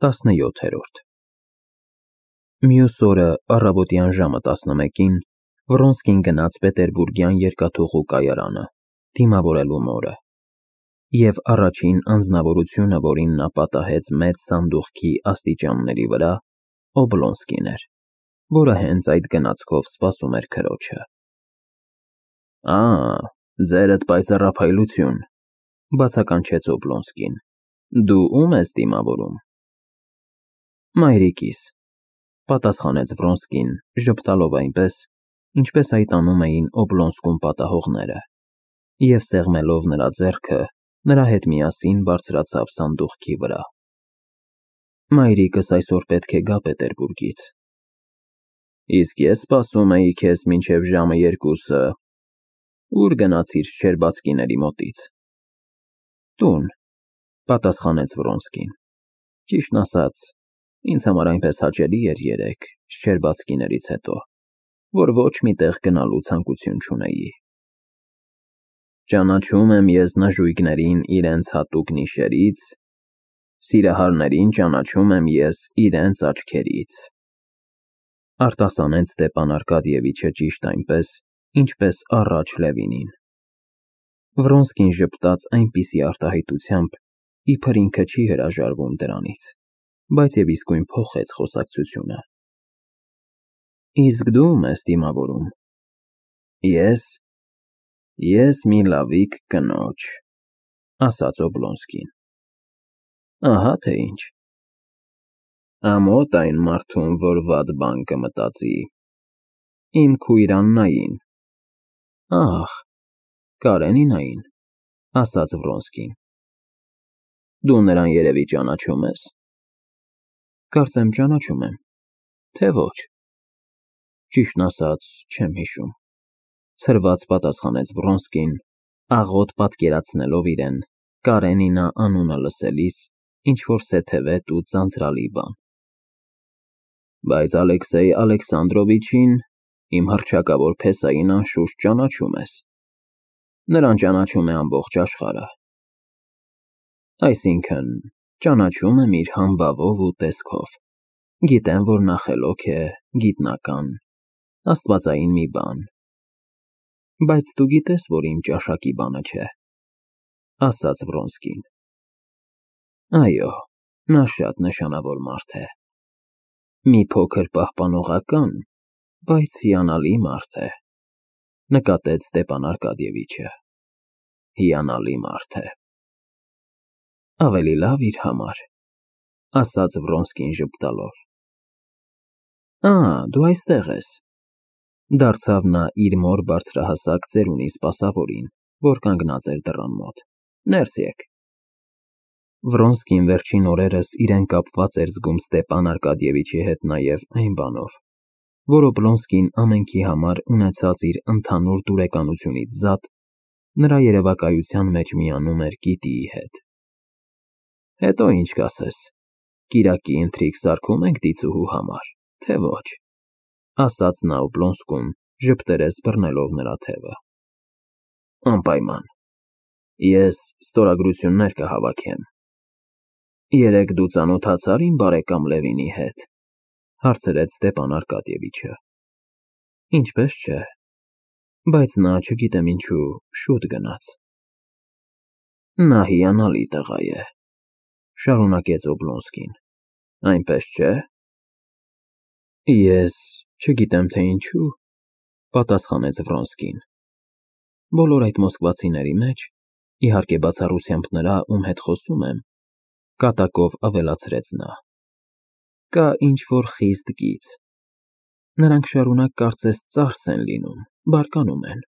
17-րդ Մյուս օրը առավոտյան ժամը 11-ին Վռոնսկին գնաց Պետերբուրգյան երկաթուղու կայարանը, դիմավորելու մորը, և առաջին անձնավորությունը, որին նա պատահեց մեծ սանդուղքի աստիճանների վրա, Օբլոնսկին էր, որը հենց այդ գնացքով սպասում էր քրոջը։ Ձերդ պայծառափայլություն, բացականչեց Օբլոնսկին, դու ո՞ւմ ես դիմավորում։ Մայրիկիս, պատասխանեց Վռոնսկին, ժպտալով այնպես, ինչպես այդ անում էին Օբլոնսկում պատահողները, և սեղմելով նրա ձեռքը, նրա հետ միասին բարձրացավ սանդուղքի վրա։ Մայրիկս այսօր պետք է գա Պետերբուրգից։ Իսկ ես սպասում էի քեզ մինչև ժամը 2-ը։ Ուր գնացիր Շչերբացկիների մոտից։ Տուն, պատասխանեց Վռոնսկին։ Ճիշտն ասած, ինձ համար այնպես հաճելի էր երեկ, Շչերբացկիներից հետո, որ ոչ մի տեղ գնալու ցանկություն չունեի։ Ճանաչում եմ ես նժույգներին իրենց հատուկ նիշերից, սիրահարներին ճանաչում եմ ես իրենց աչքերից, արտասանեց Ստեփան Արկադիևիչը ճիշտ այնպես, ինչպես առաջ Լևինին։ Վռոնսկին ժպտաց այնպիսի արտահայտությամբ, իբր ինքը չի հրաժարվում դրանից, բայց և իսկույն փոխեց խոսակցությունը։ Իսկ դու ո՞ւմ ես դիմավորում։ Ես մի լավիկ կնոջ, ասաց Օբլոնսկին։ Ահա թե ինչ։ Ամոթ այն մարդուն, որ վատ բան կմտածի։ Իմ քույր Աննային։ Ահ, Կարենինային, ասաց Վռոնսկին։ Դու նրան երևի ճանաչում ես։ Կարծեմ ճանաչում եմ, թե ոչ։ Ճիշտն ասած, չեմ հիշում, ցրված պատասխանեց Վռոնսկին, աղոտ պատկերացնելով իրեն Կարենինա անունը լսելիս ինչ-որ սեթևետ ու ձանձրալի բան։ Բայց Ալեքսեյ Ալեքսանդրովիչին, իմ հռչակավոր փեսային անշուշտ ճանաչում ես։ Նրան ճանաչում է ամբողջ աշխարհը։ Այսինքն, ճանաչում եմ իր համբավով ու տեսքով։ Գիտեմ, որ նա խելոք է, գիտնական, աստվածային մի բան։ Բայց դու գիտես, որ իմ ճաշակի բանը չէ, ասաց Վռոնսկին։ Այո, նա շատ նշանավոր մարդ է։ Մի փոքր պահպանողական, բայց հիանալի մարդ է, նկատեց Ստեփան Արկադիևիչը։ Հիանալի մարդ է։ Ավելի լավ իր համար, ասաց Վռոնսկին ժպտալով։ Դու այստեղ ես, դարձավ նա իր մոր բարձրահասակ ծերունի սպասավորին, որ կանգնած էր դռան մոտ։ Ներս եկ։ Վռոնսկին վերջին օրերս իրեն կապված էր զգում Ստեփան Արկադիևիչի հետ նաև այն բանով, որ Օբլոնսկին ամենքի համար ունեցած իր ընդհանուր դուրեկանությունից զատ, նրա երևակայության մեջ միանում էր գիտիի հետ։ Հետո ինչ կասես, կիրակի ընթրիք սարքում ենք դիցուհու համար, թե ոչ, ասաց նա Օբլոնսկուն, ժպտերես բռնելով նրա թևը։ Անպայման, ես ստորագրություններ կհավաքեմ։ Երեկ դու ծանոթացա՞ր իմ բարեկամ Լևինի հետ, հարցրեց Ստեփան Արկադիևիչը։ Ինչպես չէ, բայց նա, չգիտեմ ինչու, շուտ գնաց։ Նա հիանալի տղա է, շարունակեց Օբլոնսկին, այնպես չէ։ Ես չգիտեմ թե ինչու, պատասխանեց Վռոնսկին։ Բոլոր այդ մոսկվացիների մեջ, իհարկե բացառությամբ նրա, ում հետ խոսում եմ, կատակով ավելացրեց նա, կա ինչ-որ խիստ գիծ։ Նրանք շարունակ կարծես ծարս են լինում, բարկանում են։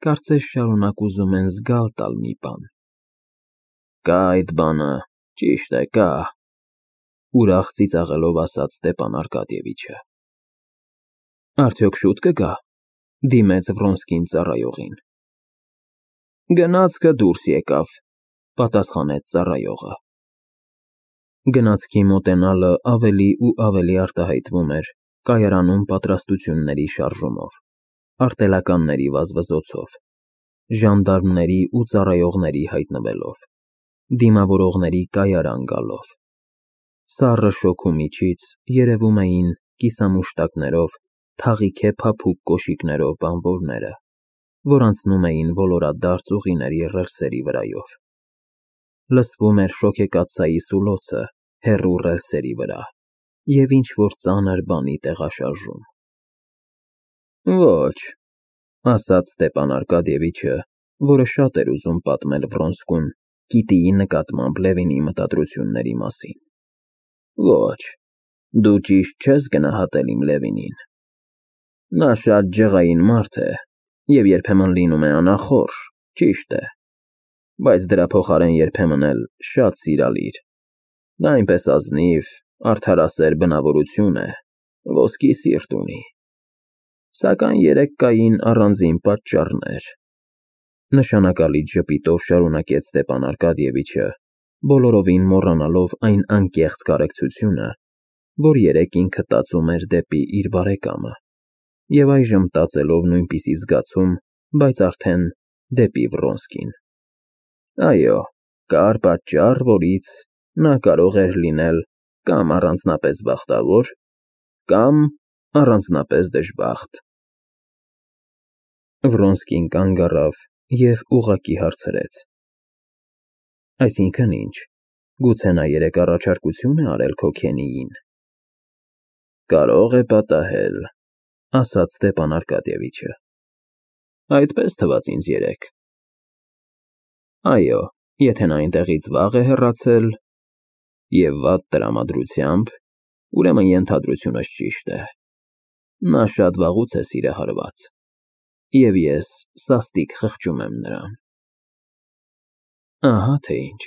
Կարծես շարունակ ուզում են զգալ տալ մի բան։ Կա այդ բանը, ճիշտ է, կա, ուրախ ծիծաղելով ասաց Ստեփան Արկադիևիչը։ Արդյոք շուտ կգա, դիմեց Վռոնսկին ծառայողին։ Գնացքը դուրս եկավ, պատասխանեց ծառայողը։ Գնացքի մոտենալը ավելի ու ավելի արտահայտվում էր կայարանում պատրաստությունների շարժումով, արտելականների վազվզոցով, ժանդարմների ու ծառայողների հայտնվելով, դիմավորողների կայարան գալով։ Սառը շոգու միջից երևում էին կիսամուշտակներով, թաղիքե փափուկ կոշիկներով բանվորները, որ անցնում էին ոլորադարձ ուղիների ռելսերի վրայով։ Լսվում էր շոգեկաթսայի սուլոցը հեռու ռելսերի վրա և ինչ-որ ծանր բանի տեղաշարժում։ Ոչ, ասաց Ստեփան Արկադիևիչը, որը շատ էր ուզում պատմել Վրոնսկուն Կիտիի նկատմամբ Լևինի մտադրությունների մասին։ Ոչ, դու ճիշտ չես գնահատել իմ Լևինին։ Նա շատ ջղային մարդ է և երբեմն լինում է անախորժ, ճիշտ է, բայց դրա փոխարեն երբեմն էլ շատ սիրալիր։ Նա այնպես ազնիվ, արդարասեր բնավորություն է, ոսկի սիրտ ունի։ Սակայն երեկ կային առանձին պատճառներ, նշանակալից ժպիտով շարունակեց Ստեփան Արկադիևիչը, բոլորովին մոռանալով այն անկեղծ կարեկցությունը, որ երեկ ինքը տածում էր դեպի իր բարեկամը, և այժմ տածելով նույնպիսի զգացում, բայց արդեն դեպի Վրոնսկին։ Այո, կար պատճառ, որից նա կարող էր լինել կամ առանձնապես բախտավոր, կամ առանձնապես դժբախտ։ Վրոնսկին կանգ առավ և ուղղակի հարցրեց. Այսինքն ինչ, գուցե նա երեկ առաջարկություն է արել քո Քենիին։ Կարող է պատահել, ասաց Ստեփան Արկադիևիչը։ Այդպես թվաց ինձ երեկ։ Այո, եթե նա այնտեղից վաղ է հեռացել և վատ տրամադրությամբ, ուրեմն ենթադրությունս ճիշտ է։ Նա շատ վաղուց է սիրահարված, և ես սաստիկ խղճում եմ նրան։ Ահա թե ինչ։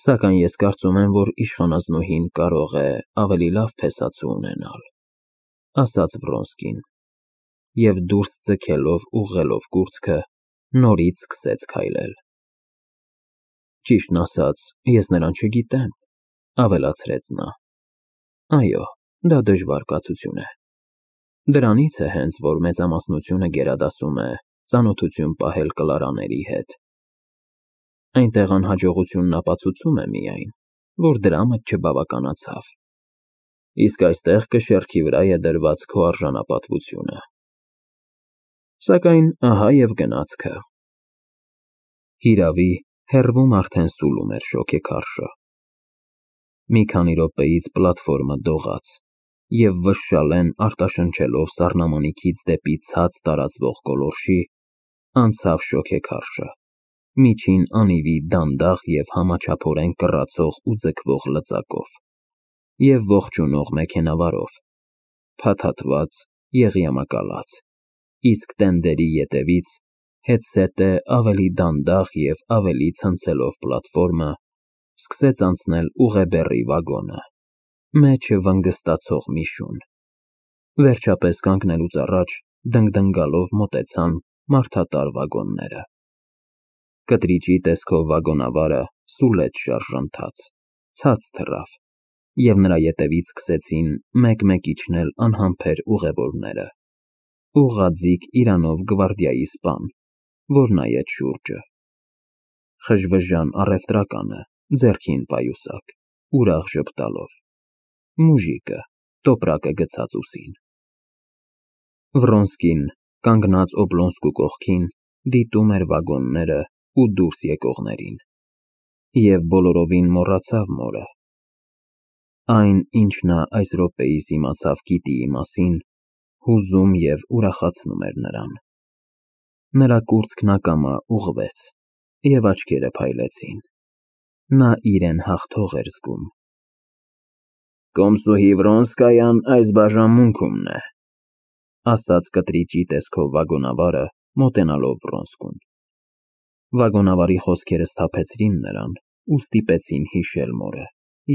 Սակայն ես կարծում եմ, որ իշխանազնուհին կարող է ավելի լավ փեսացու ունենալ, ասաց Վրոնսկին, և դուրս ձգելով ուղղելով կուրծքը, նորից սկսեց քայլել։ Ճիշտն ասած, ես նրան չգիտեմ, ավելացրեց նա։ Այո, դա դժվար կացություն է։ Դրանից է հենց, որ մեծամասնությունը գերադասում է ծանոթություն պահել Կլարաների հետ։ Այնտեղ անհաջողությունն ապացուցում է միայն, որ դրամդ չբավականացավ, իսկ այստեղ կշեռքի վրա է դրված քո արժանապատվությունը։ Սակայն ահա և գնացքը։ Հիրավի, հեռվում արդեն սուլում էր շոգեքարշը։ Մի քանի րոպեից պլատֆորմը դողաց, և վշշալեն արտաշնչելով սառնամանիքից դեպի ցած տարածվող գոլորշի, անցավ շոգեքարշը, միջին անիվի դանդաղ և համաչափորեն կռացող ու ձգվող լծակով և ողջունող մեքենավարով, փաթաթված, եղյամակալած, իսկ տենդերի ետևից հետզհետե ավելի դանդաղ և ավելի ցնցելով պլատֆորմը, սկսեց անցնել ուղեբեռի վագոնը, մեջը վնգստացող մի շուն։ Վերջապես կանգնելուց առաջ դնգդնգալով մոտեցան մարդատար վագոնները։ Կտրիճի տեսքով վագոնավարը սուլեց շարժանթաց, ցած թռավ, և նրա ետևից սկսեցին մեկ֊մեկ իջնել անհամբեր ուղևորները, ուղղաձիգ իրանով գվարդիայի սպան, որ նայեց շուրջը։ Խժվժան առևտրականը, ձեռքին պայուսակ, ուրախ ժպտալով, մուժիկը, տոպրակը գցած ուսին։ Վրոնսկին, կանգնած Օբլոնսկու կողքին, դիտում էր վագոնները ու դուրս եկողներին, և բոլորովին մոռացավ մորը։ Այն, ինչ նա այս րոպեիս իմացավ Կիտիի մասին, հուզում և ուրախացնում էր նրան։ Նրա կուրծքն ակամա ուղղվեց, և աչքերը փայլեցին։ Նա իրեն հաղթող էր զգում։ Կոմսուհի Վրոնսկայան այս բաժանմունքումն է, ասաց կտրիճի տեսքով վագոնավարը, մոտենալով Վրոնսկուն։ Վագոնավարի խոսքերը սթափեցրին նրան ու ստիպեցին հիշել մորը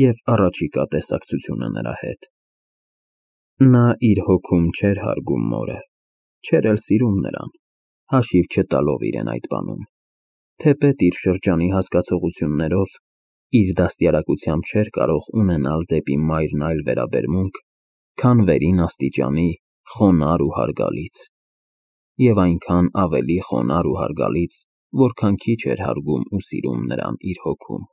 և առաջիկա տեսակցությունը նրա հետ։ Նա իր հոգում չէր հարգում մորը, չէր էլ սիրում նրան, հաշիվ չտալով իրեն այդ բանում, թեպետ իր շրջանի հասկացություններով իր դաստիարակությամբ չէր կարող ունենալ դեպի մայրն այլ վերաբերմունք, քան վերին աստիճանի խոնարհ ու հարգալից, և այնքան ավելի խոնարհ ու հարգալից, որքան քիչ էր հարգում ու սիրում նրան իր հոգում։